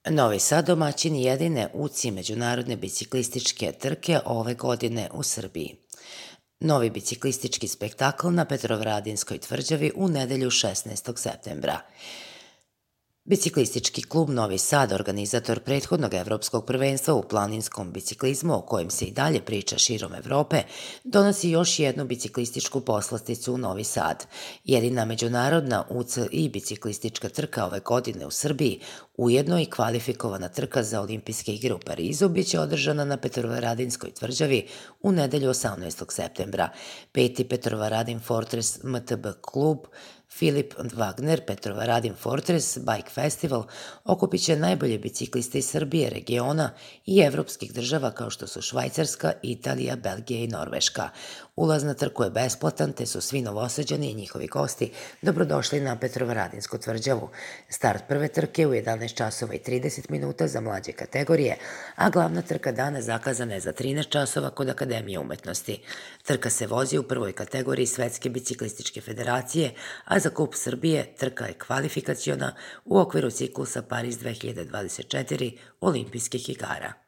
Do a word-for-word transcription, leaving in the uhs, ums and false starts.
Novi Sad domaćin jedine U C I međunarodne biciklističke trke ove godine u Srbiji. Novi biciklistički spektakl na Petrovaradinskoj tvrđavi u nedelju šesnaestog septembra. Biciklistički klub Novi Sad, organizator prethodnog evropskog prvenstva u planinskom biciklizmu, o kojem se i dalje priča širom Evrope, donosi još jednu biciklističku poslasticu u Novi Sad. Jedina međunarodna U C I biciklistička trka ove godine u Srbiji, ujedno i kvalifikovana trka za olimpijske igre u Parizu, biće održana na Petrovaradinskoj tvrđavi u nedelju osamnaestog septembra. Peti Petrovaradin Fortress M T B klub Filip Wagner Petrovaradin Fortress Bike Festival okupit će najbolje bicikliste iz Srbije, regiona i evropskih država kao što su Švajcarska, Italija, Belgija i Norveška. Ulaz na trku je besplatan, te su svi Novosađani i njihovi gosti dobrodošli na Petrovaradinsku tvrđavu. Start prve trke u jedanaest časova i trideset minuta za mlađe kategorije, a glavna trka dana zakazana je za trinaest časova kod Akademije umetnosti. Trka se vozi u prvoj kategoriji Svetske biciklističke federacije, a za Kup Srbije trka je kvalifikaciona u okviru ciklusa Paris dve hiljade dvadeset četiri olimpijskih igara.